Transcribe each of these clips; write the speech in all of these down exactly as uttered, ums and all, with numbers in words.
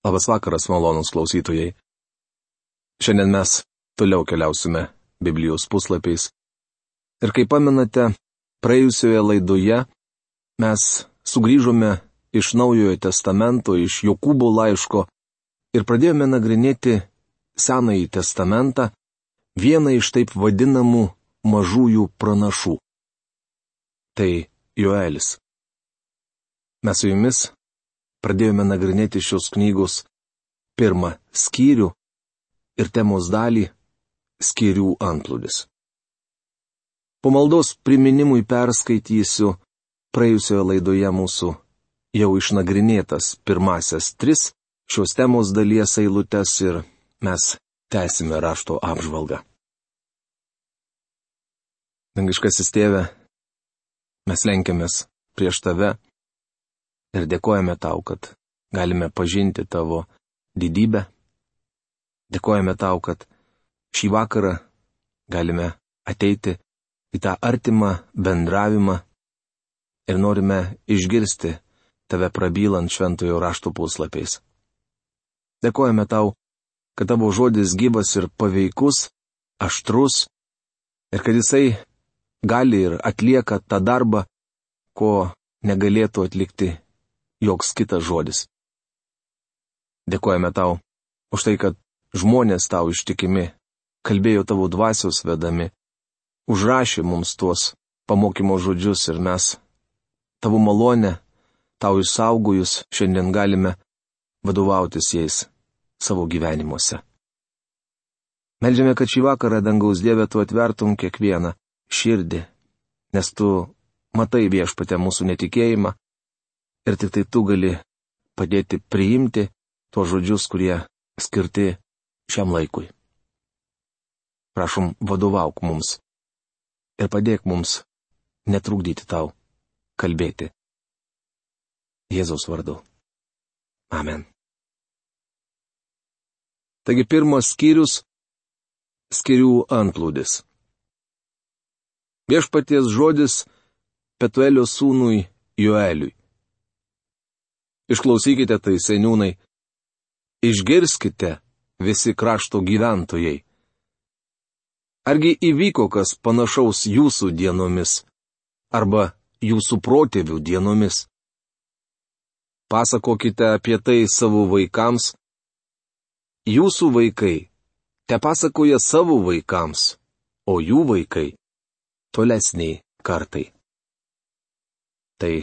Labas vakaras, malonūs klausytojai. Šiandien mes toliau keliausime Biblijos puslapiais. Ir kaip pamenate, praėjusioje laidoje mes sugrįžome iš Naujojo testamento, iš Jokūbo laiško ir pradėjome nagrinėti Senąjį testamentą, vieną iš taip vadinamų mažųjų pranašų. Tai Joelis. Mes su jumis pradėjome nagrinėti šios knygos pirmą skyrių ir temos dalį skyrių antplūdis. Po maldos priminimui perskaitysiu praėjusioje laidoje mūsų jau išnagrinėtas pirmasias tris šios temos dalies eilutes ir mes tęsime rašto apžvalgą. Dangiškasis Tėve, mes lenkiamės prieš Tave ir dėkojame Tau, kad galime pažinti Tavo didybę. Dėkojame Tau, kad šį vakarą galime ateiti į tą artimą bendravimą ir norime išgirsti Tave prabylant šventojo rašto puslapiais. Dėkojame Tau, kad Tavo žodis gyvas ir paveikus, aštrus ir kad jisai gali ir atlieka tą darbą, ko negalėtų atlikti joks kitas žodis. Dėkojame Tau už tai, kad žmonės Tau ištikimi, kalbėjo Tavo dvasios vedami, užrašė mums tuos pamokymo žodžius ir mes Tavo malonę, Tau išsaugojus, šiandien galime vadovautis jais savo gyvenimuose. Meldžiame, kad šį vakarą, dangaus Dieve, Tu atvertum kiekvieną širdį, nes Tu matai, Viešpatie, mūsų netikėjimą ir tik tai Tu gali padėti priimti tuos žodžius, kurie skirti šiam laikui. Prašom, vadovauk mums ir padėk mums netrukdyti Tau kalbėti. Jėzaus vardu. Amen. Taigi pirmas skyrius – skyrių antplūdis. Viešpaties žodis Petuelio sūnui Joeliui. Išklausykite tai, seniūnai, išgirskite visi krašto gyventojai. Argi įvyko kas panašaus jūsų dienomis, arba jūsų protėvių dienomis? Pasakokite apie tai savo vaikams. Jūsų vaikai te pasakoja savo vaikams, o jų vaikai tolesniai kartai. Tai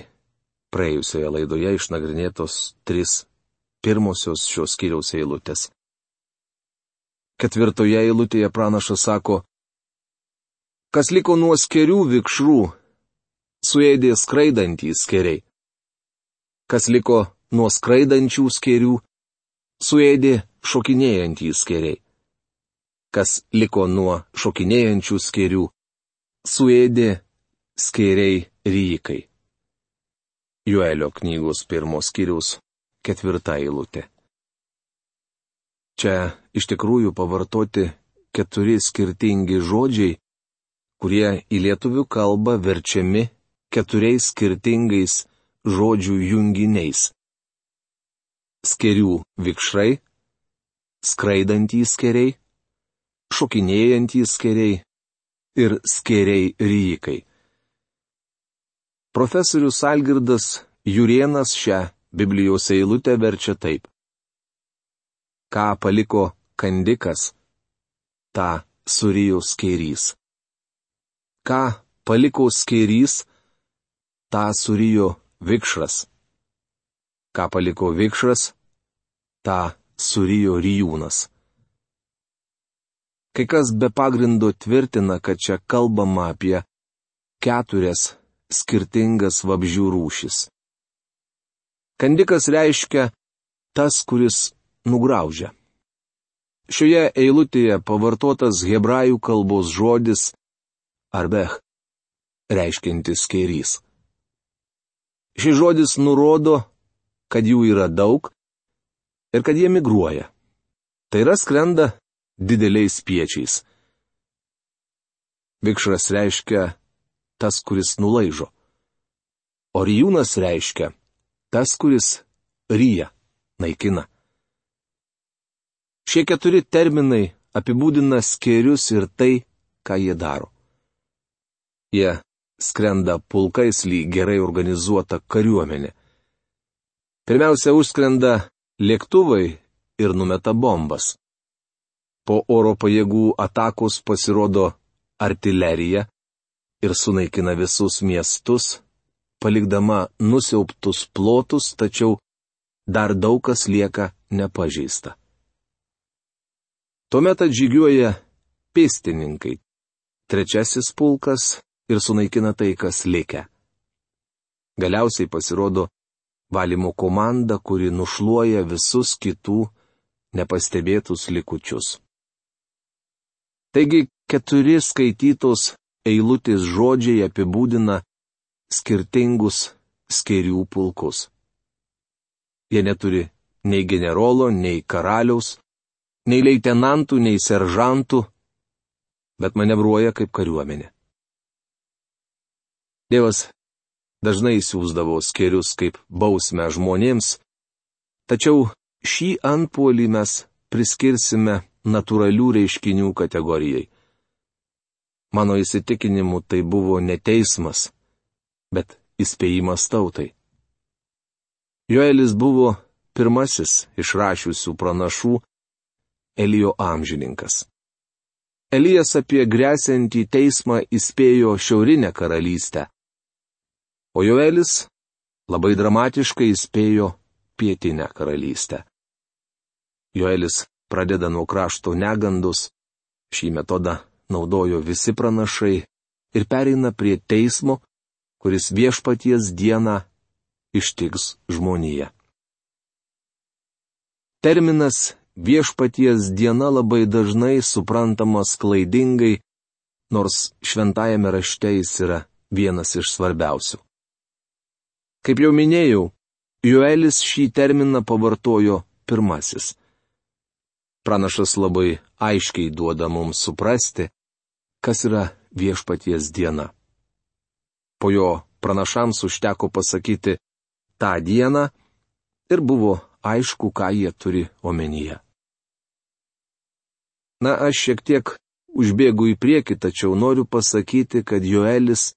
praėjusioje laidoje išnagrinėtos tris pirmosios šios skyriaus eilutės. Ketvirtoje eilutėje pranašas sako: kas liko nuo skėrių vikšrų, suėdė skraidantys skėriai. Kas liko nuo skraidančių skėrių, suėdė šokinėjantys skėriai. Kas liko nuo šokinėjančių skėrių, suėdė skėriai ryjikai. Joelio knygos pirmos skyriaus ketvirta eilutė. Čia iš tikrųjų pavartoti keturi skirtingi žodžiai, kurie į lietuvių kalbą verčiami keturiais skirtingais žodžių junginiais. Skėrių vikšrai, skraidantys skėriai, šokinėjantys skėriai ir skėriai ryjikai. Profesorius Algirdas Jurėnas šią Biblijos eilutę verčia taip. Ką paliko kandikas, tą surijo skėrys. Ką paliko skėrys, tą surijo vikšras. Ką paliko vikšras, tą surijo rijūnas. Kai kas be pagrindo tvirtina, kad čia kalbama apie keturias skirtingas vabzdžių rūšis. Kandikas reiškia tas, kuris nugraužia. Šioje eilutėje pavartotas hebrajų kalbos žodis arbech, reiškiantis skėrys. Šis žodis nurodo, kad jų yra daug ir kad jie migruoja. Tai yra skrenda dideliais spiečiais. Vikšras reiškia tas, kuris nulaižo. O rijūnas reiškia tas, kuris ryja, naikina. Šie keturi terminai apibūdina skėrius ir tai, ką jie daro. Jie skrenda pulkais lyg gerai organizuota kariuomenė. Pirmiausia, užskrenda lėktuvai ir numeta bombas. Po oro pajėgų atakos pasirodo artilerija ir sunaikina visus miestus, palikdama nusiaubtus plotus, tačiau dar daug kas lieka nepažeista. Tuomet atžygiuoja pėstininkai, trečiasis pulkas ir sunaikina tai, kas likę. Galiausiai pasirodo valymo komanda, kuri nušluoja visus kitų nepastebėtus likučius. Taigi keturi skaitytos eilutės žodžiai apibūdina skirtingus skėrių pulkus. Jie neturi nei generolo, nei karaliaus, nei leitenantų, nei seržantų, bet manevruoja kaip kariuomenė. Dievas dažnai siųsdavo skėrius kaip bausmę žmonėms, tačiau šį antpuolį mes priskirsime natūralių reiškinių kategorijai. Mano įsitikinimu tai buvo ne teismas, bet įspėjimas tautai. Joelis buvo pirmasis išrašiusių pranašų Elijo amžininkas. Elijas apie gresiantį teismą įspėjo šiaurinę karalystę, o Joelis labai dramatiškai įspėjo pietinę karalystę. Joelis pradeda nuo krašto negandos, šį metodą naudojo visi pranašai ir pereina prie teismo, kuris viešpaties dieną ištiks žmoniją. Terminas viešpaties diena labai dažnai suprantamas klaidingai, nors šventajame rašte jis yra vienas iš svarbiausių. Kaip jau minėjau, Joelis šį terminą pavartojo pirmasis. Pranašas labai aiškiai duoda mums suprasti, kas yra viešpaties diena. Po jo pranašams užteko pasakyti tą dieną ir buvo aišku, ką jie turi omenyje. Na, aš šiek tiek užbėgu į priekį, tačiau noriu pasakyti, kad Joelis,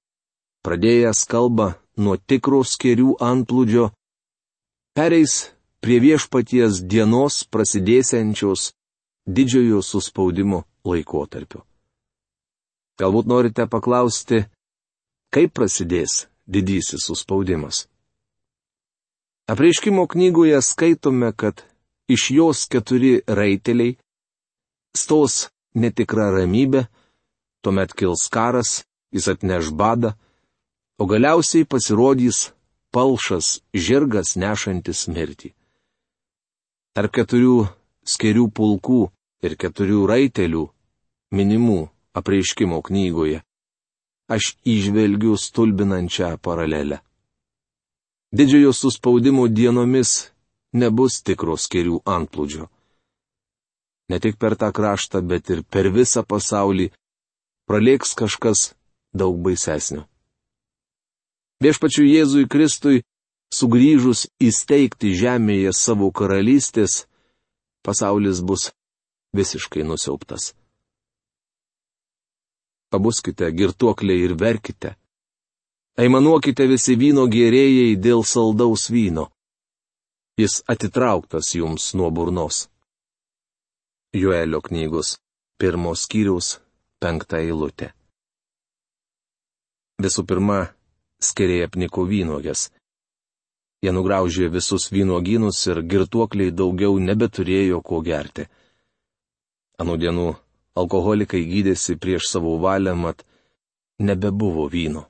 pradėjęs kalbą nuo tikro skėrių antplūdžio, pereis prie viešpaties dienos prasidėsiančios didžiojo suspaudimo laikotarpiu. Galbūt norite paklausti, kaip prasidės didysis suspaudimas. Apreiškimo knygoje skaitome, kad iš jos keturi raiteliai stos netikra ramybė, tuomet kils karas, jis atneš badą, o galiausiai pasirodys palšas žirgas nešantis mirtį. Tarp keturių skėrių pulkų ir keturių raitelių, minimų apreiškimo knygoje, aš įžvelgiu stulbinančią paralelę. Didžiojo suspaudimo dienomis nebus tikro skėrių antplūdžio. Ne tik per tą kraštą, bet ir per visą pasaulį pralėks kažkas daug baisesnio. Viešpačiui Jėzui Kristui, sugrįžus įsteigti žemėje savo karalystės, pasaulis bus visiškai nusiaubtas. Pabuskite, girtuokliai, ir verkite. Aimanuokite visi vyno gėrėjai dėl saldaus vyno. Jis atitrauktas jums nuo burnos. Joelio knygos pirmos skyriaus penkta eilutė. Visų pirma, skėriai apniko vynuogės. Jie nugraužė visus vynuogynus ir girtuokliai daugiau nebeturėjo ko gerti. Anų dienų alkoholikai gydėsi prieš savo valią, mat nebebuvo vyno.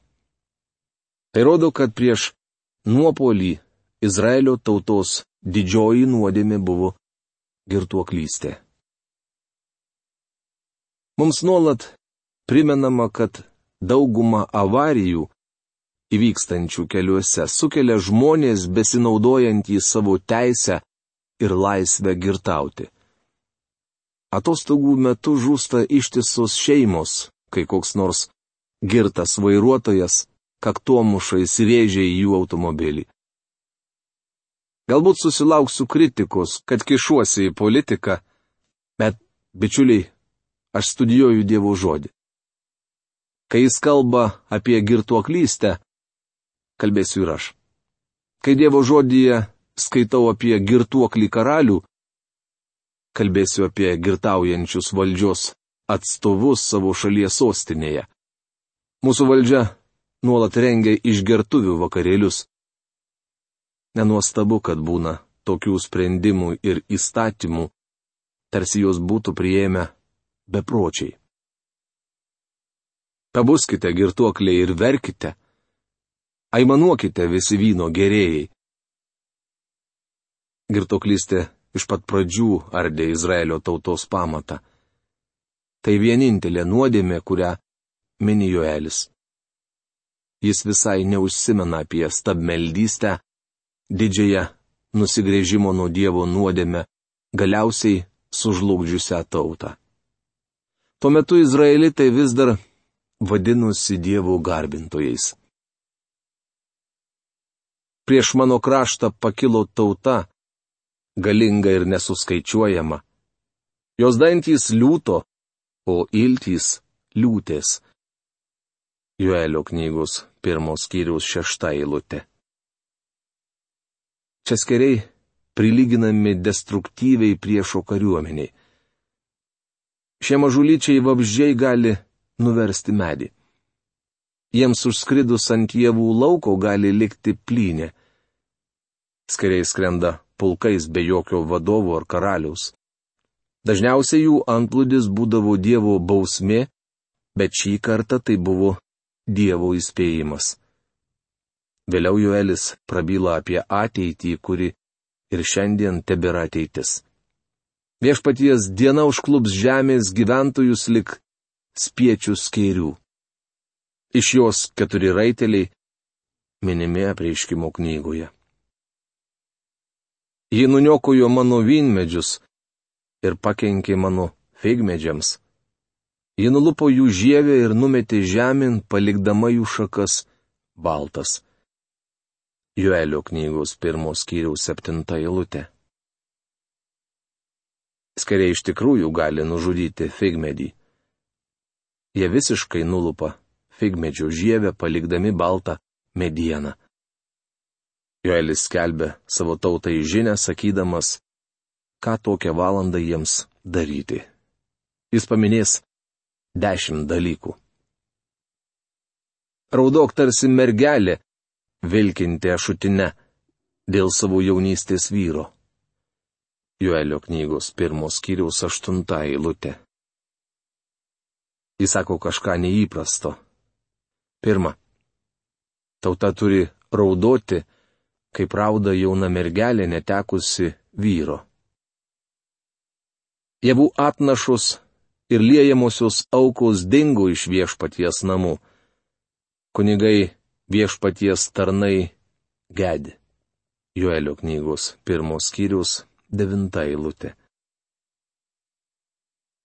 Tai rodo, kad prieš nuopuolį Izraelio tautos didžioji nuodėmė buvo girtuoklystė. Mums nuolat primenama, kad dauguma avarijų įvykstančių keliuose sukelia žmonės besinaudojantys savo teisę ir laisvę girtauti. Atostogų metu žūsta ištisos šeimos, kai koks nors girtas vairuotojas kaktomuša įsirėžė į jų automobilį. Galbūt susilauksiu kritikos, kad kišuosi į politiką, Bet, bičiuliai, aš studijuoju Dievo žodį. Kai jis kalba apie girtuoklystę, kalbėsiu ir aš. Kai Dievo žodyje skaitau apie girtuoklį karalių, kalbėsiu apie girtaujančius valdžios atstovus savo šalies sostinėje. Mūsų valdžia nuolat rengia išgertuvių vakarėlius. Nenuostabu, kad būna tokių sprendimų ir įstatymų, tarsi jos būtų priėmę bepročiai. Pabuskite, girtuokliai, ir verkite. Aimanuokite visi vyno gerėjai. Girtuoklystė iš pat pradžių ardė Izraelio tautos pamatą. Tai vienintelė nuodėmė, kurią mini Joelis. Jis visai neužsimena apie stabmeldystę, didžiąją nusigręžimo nuo Dievo nuodėmę, galiausiai sužlugdžiusią tautą. Tuo metu izraelitai vis dar vadinosi Dievo garbintojais. Prieš mano kraštą pakilo tauta, galinga ir nesuskaičiuojama. Jos dantys liūto, o iltys liūtės. Joelio knygos pirmos skyriaus šešta eilutė. Čia skeriai prilyginami destruktyviai priešo kariuomeniai. Šie mažulyčiai vabzdžiai gali nuversti medį. Jiems užskridus ant javų lauko gali likti plynė. Skeriai skrenda pulkais be jokio vadovo ar karaliaus. Dažniausiai jų antplūdis būdavo Dievo bausmė, bet šį kartą tai buvo Dievo įspėjimas. Vėliau Joelis prabyla apie ateitį, kuri ir šiandien tebėra ateitis. Viešpaties diena užklups žemės gyventojus lik spiečių skėrių. Iš jos keturi raiteliai minimi Apreiškimo knygoje. Ji nuniokojo mano vynmedžius ir pakenkė mano figmedžiams. Ji nulupo jų žievę ir numetė žemėn, palikdama jų šakas baltas. Joelio knygos pirmos skyriaus septinta eilutė. Skeriai iš tikrųjų gali nužudyti figmedį. Jie visiškai nulupa figmedžio žievę, palikdami baltą medieną. Joelis skelbia savo tautai žinią, sakydamas, ką tokią valandą jiems daryti. Jis paminės dešimt dalykų. Raudok tarsi mergelė, vilkinti ašutine, dėl savo jaunystės vyro. Joelio knygos pirmos skyriaus aštunta eilutė. Jis sako kažką neįprasto. Pirma, tauta turi raudoti, kaip rauda jauna mergelė netekusi vyro. Javų atnašos ir liejamosios aukos dingo iš viešpaties namų. Kunigai viešpaties tarnai gedi. Joelio knygos pirmos skyriaus devinta eilutė.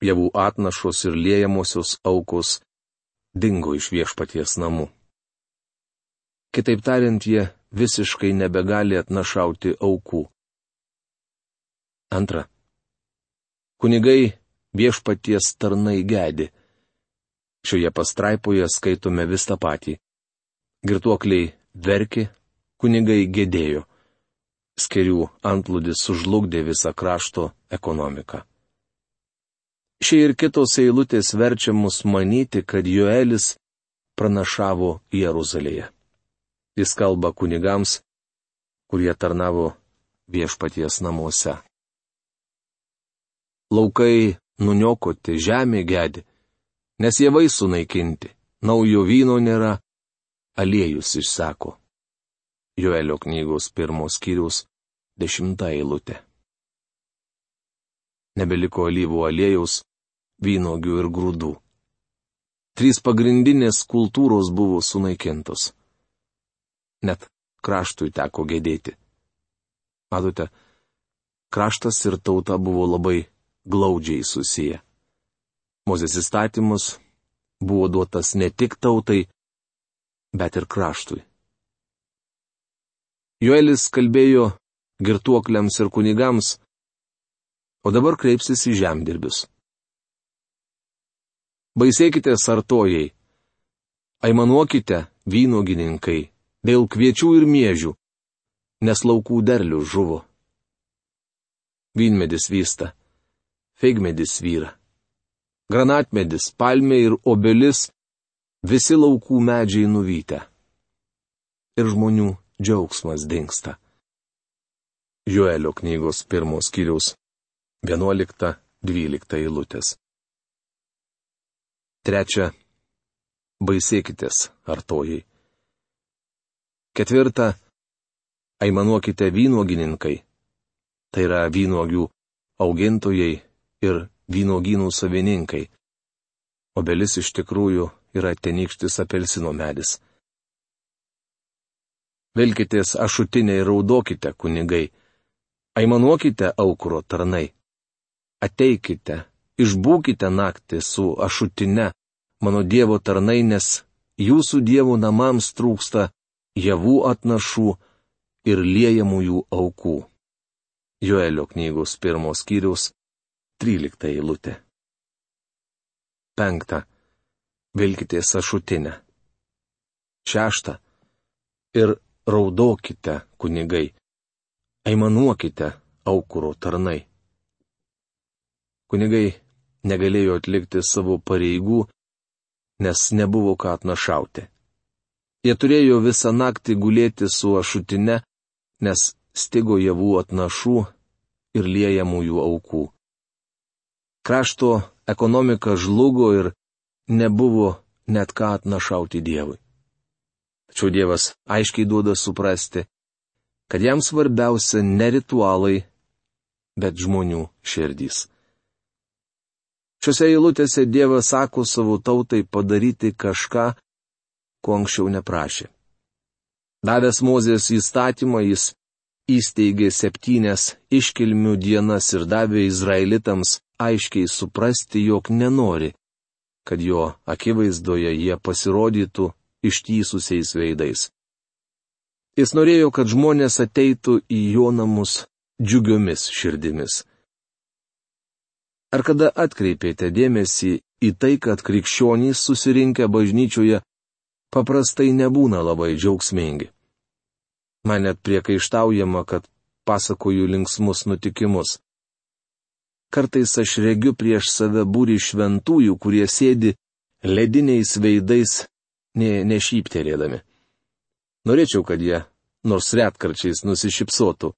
Javų atnašos ir liejamosios aukos dingo iš viešpaties namų. Kitaip tariant, jie visiškai nebegali atnašauti aukų. Antra. Kunigai viešpaties tarnai gedi. Šioje pastraipoje skaitome vis tą patį. Girtuokliai verkė, kunigai gedėjo. Skerių antplūdis sužlugdė visą krašto ekonomiką. Šie ir kitos eilutės verčia mus manyti, kad Joelis pranašavo Jeruzalėje. Jis kalba kunigams, kurie tarnavo viešpaties namuose. Laukai nuniokoti, žemė gedi, nes javai sunaikinti, naujo vyno nėra, aliejus išseko. Joelio knygos pirmos skyriaus dešimta eilutė. Nebeliko alyvų aliejaus, vynogių ir grūdų. Trys pagrindinės kultūros buvo sunaikintos. Net kraštui teko gedėti. Matote, kraštas ir tauta buvo labai glaudžiai susiję. Mozės įstatymas buvo duotas ne tik tautai, bet ir kraštui. Joelis kalbėjo girtuokliams ir kunigams, o dabar kreipsis į žemdirbius. Baisėkite sartojai, aimanuokite vynuogininkai dėl kviečių ir miežių, nes laukų derlius žuvo. Vynmedis vysta, figmedis vyra, granatmedis, palmė ir obelis, visi laukų medžiai nuvytę. Ir žmonių džiaugsmas dingsta. Joelio knygos pirmos skyriaus vienuolikta dvylikta eilutės. Trečia. Baisėkitės, artojai. Ketvirta. Aimanuokite vynuogininkai. Tai yra vynuogių augintojai ir vynuogynų savininkai. Obelis iš tikrųjų yra tenykštis apelsino medis. Vilkitės ašutinę ir raudokite, kunigai. Aimanuokite aukuro tarnai. Ateikite, išbūkite naktį su ašutine, mano Dievo tarnai, nes jūsų Dievo namams trūksta javų atnašų ir liejamųjų aukų. Joelio knygos pirmos skyriaus trylikta eilutė. Penkta. Vilkitės ašutinę. Šešta. Ir raudokite, kunigai. Aimanuokite, aukuro tarnai. Kunigai negalėjo atlikti savo pareigų, nes nebuvo ką atnašauti. Jie turėjo visą naktį gulėti su ašutine, nes stigo javų atnašų ir liejamųjų aukų. Krašto ekonomika žlugo ir nebuvo net ką atnašauti Dievui. Tačiau Dievas aiškiai duoda suprasti, kad jam svarbiausia ne ritualai, bet žmonių širdys. Šiuose eilutėse Dievas sako savo tautai padaryti kažką, ko anksčiau neprašė. Davęs Mozės įstatymą, jis įsteigė septynias iškilmių dienas ir davė izraelitams aiškiai suprasti, jog nenori, kad jo akivaizdoje jie pasirodytų ištįsusiais veidais. Jis norėjo, kad žmonės ateitų į jo namus džiugiomis širdimis. Ar kada atkreipėte dėmesį į tai, kad krikščionys susirinkę bažnyčioje paprastai nebūna labai džiaugsmingi? Man net priekaištaujama, kad pasakoju linksmus nutikimus. Kartais aš regiu prieš save būrį šventųjų, kurie sėdi lediniais veidais, ne, nešypterėdami. Norėčiau, kad jie nors retkarčiais nusišypsotų.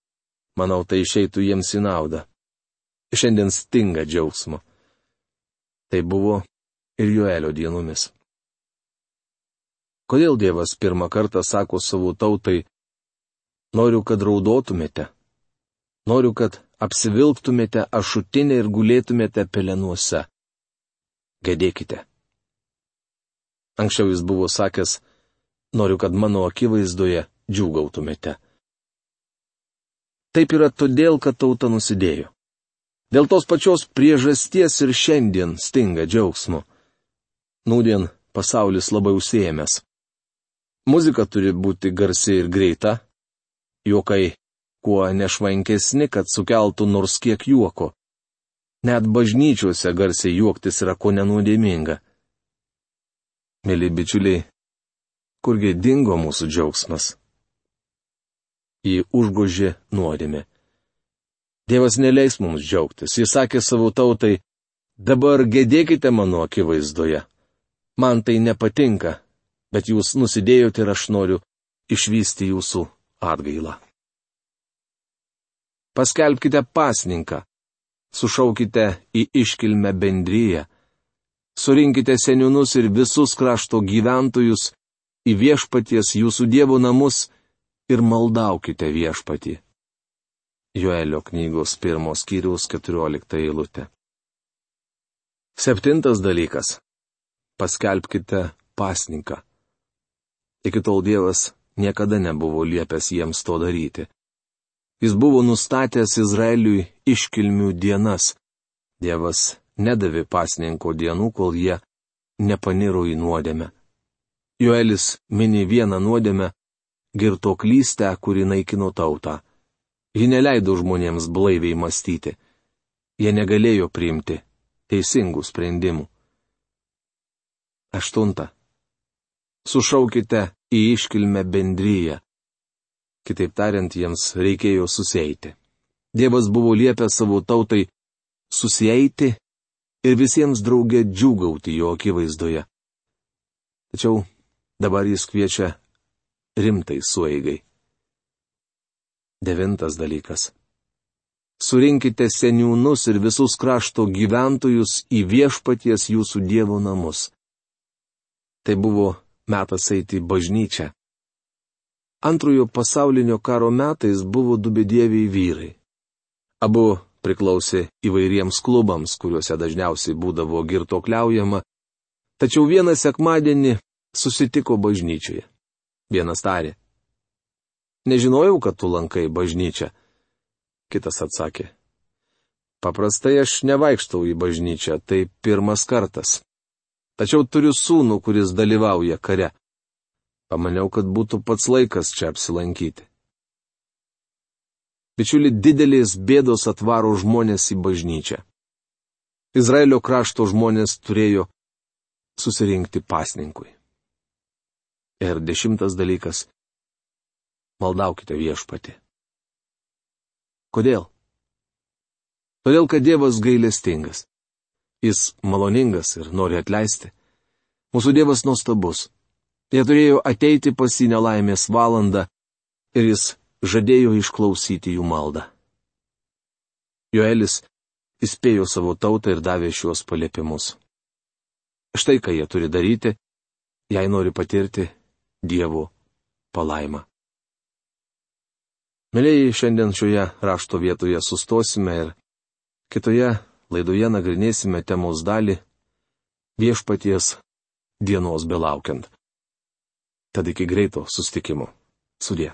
Manau, tai išeitų jiems į naudą. Šiandien stinga džiaugsmo. Tai buvo ir Joelio dienomis. Kodėl Dievas pirmą kartą sako savo tautai: noriu, kad raudotumėte, noriu, kad apsivilktumėte ašutinę ir gulėtumėte pelenuose. Gedėkite. Anksčiau jis buvo sakęs: noriu, kad mano akivaizdoje džiūgautumėte. Taip yra todėl, kad tauta nusidėjo. Dėl tos pačios priežasties ir šiandien stinga džiaugsmo. Nūdien pasaulis labai užsiėmęs. Muzika turi būti garsi ir greita, juokai kuo nešvankesni, kad sukeltų nors kiek juoko. Net bažnyčiose garsiai juoktis yra ko nenuodėminga. Mėly bičiuliai, kurgi dingo mūsų džiaugsmas? Jį užgožė nuodėmė. Dievas neleis mums džiaugtis. Jis sakė savo tautai: dabar gedėkite mano akivaizdoje. Man tai nepatinka, bet jūs nusidėjote ir aš noriu išvysti jūsų atgailą. Paskelbkite pasninką, sušaukite į iškilmę bendriją, surinkite seniūnus ir visus krašto gyventojus į viešpaties jūsų Dievo namus ir maldaukite viešpatį. Joelio knygos pirmos skyriaus keturiolikta eilutė. Septintas dalykas. Paskelbkite pasninką. Iki tol Dievas niekada nebuvo liepęs jiems to daryti. Jis buvo nustatęs Izraeliui iškilmių dienas. Dievas nedavė pasninko dienų, kol jie nepaniro į nuodėmę. Joelis mini vieną nuodėmę - girtuoklystę, kuri naikino tautą. Ji neleido žmonėms blaiviai mąstyti. jie negalėjo priimti teisingų sprendimų. Aštunta. Sušaukite į iškilmę bendryją. Kitaip tariant, jiems reikėjo susieiti. Dievas buvo liepęs savo tautai susieiti ir visiems drauge džiūgauti jo akivaizdoje. Tačiau dabar jis kviečia rimtai sueigai. Devintas dalykas. Surinkite seniūnus ir visus krašto gyventojus į viešpaties jūsų Dievo namus. Tai buvo metas eiti į bažnyčią. Antrojo pasaulinio karo metais buvo du bedieviai vyrai. Abu priklausė įvairiems klubams, kuriuose dažniausiai būdavo girtuokliaujama, tačiau vieną sekmadienį susitiko bažnyčioje. Vienas tarė: "Nežinojau, kad tu lankai bažnyčią." Kitas atsakė: "Paprastai aš nevaikštau į bažnyčią, tai pirmas kartas. Tačiau turiu sūnų, kuris dalyvauja kare. Pamaniau, kad būtų pats laikas čia apsilankyti." Bičiuli, didelės bėdos atvaro žmonės į bažnyčią. Izraelio krašto žmonės turėjo susirinkti pasninkui. Ir dešimtas dalykas. Maldaukite viešpatį. Kodėl? Todėl, kad Dievas gailestingas. Jis maloningas ir nori atleisti. Mūsų Dievas nuostabus. Jie turėjo ateiti pas jį nelaimės valandą ir jis žadėjo išklausyti jų maldą. Joelis įspėjo savo tautą ir davė šiuos paliepimus. Štai ką jie turi daryti, jei nori patirti Dievo palaimą. Mielieji, šiandien šioje rašto vietoje sustosime ir kitoje laidoje nagrinėsime temos dalį viešpaties dienos belaukiant. Tad iki greito susitikimo. Sudie.